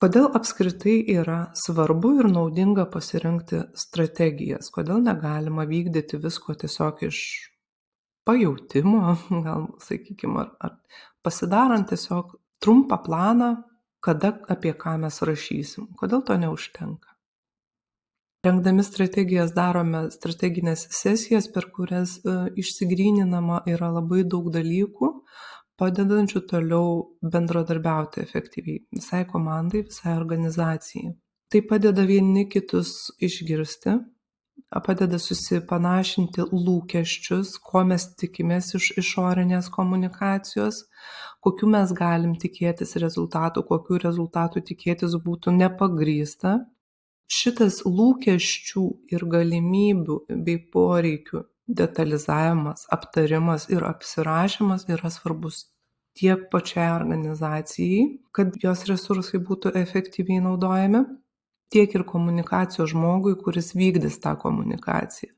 Kodėl apskritai yra svarbu ir naudinga pasirinkti strategijas? Kodėl negalima vykdyti visko tiesiog iš pajautimo, gal sakykime, ar pasidarant tiesiog trumpą planą, kada apie ką mes rašysim? Kodėl to neužtenka? Rengdami strategijas darome strategines sesijas, per kurias išsigryninama yra labai daug dalykų, padedančių toliau bendradarbiauti efektyviai visai komandai, visai organizacijai. Tai padeda vieni kitus išgirsti, padeda susipanašinti lūkesčius, ko mes tikimės iš išorinės komunikacijos, kokių mes galim tikėtis rezultatų, kokių rezultatų tikėtis būtų nepagrįsta. Šitas lūkesčių ir galimybių bei poreikių detalizavimas, aptarimas ir apsirašymas yra svarbus tiek pačiai organizacijai, kad jos resursai būtų efektyviai naudojami, tiek ir komunikacijos žmogui, kuris vykdys tą komunikaciją.